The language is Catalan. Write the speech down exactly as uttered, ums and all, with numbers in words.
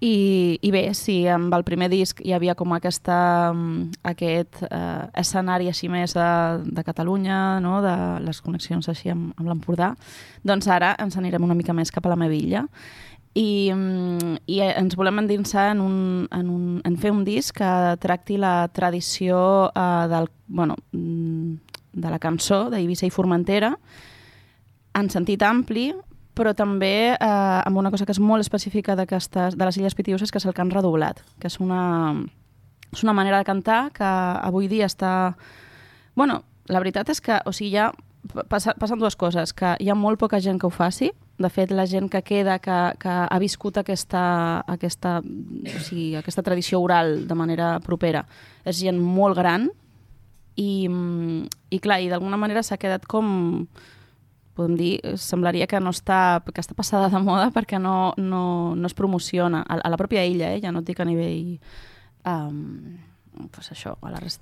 I, i bé, sí, amb el primer disc hi havia com aquesta, aquest eh, escenari així més de, de Catalunya, no? De les connexions així amb, amb l'Empordà, doncs ara ens anirem una mica més cap a la meva illa i, i ens volem endinsar en, un, en, un, en fer un disc que tracti la tradició eh, del, bueno, de la cançó d'Eivissa i Formentera en sentit ampli, però també eh, amb una cosa que és molt específica de les Illes Pitiüses, que és el cant redoblat, que és una, és una manera de cantar que avui dia està... Bueno, la veritat és que o sigui, ja passa, passen dues coses, que hi ha molt poca gent que ho faci, de fet la gent que queda, que, que ha viscut aquesta, aquesta, o sigui, aquesta tradició oral de manera propera, és gent molt gran i, i clar, i d'alguna manera s'ha quedat com... podem dir, semblaria que no està, que està passada de moda perquè no, no, no es promociona a, a la pròpia illa, eh? Ja no et dic a nivell um, pues això, a la resta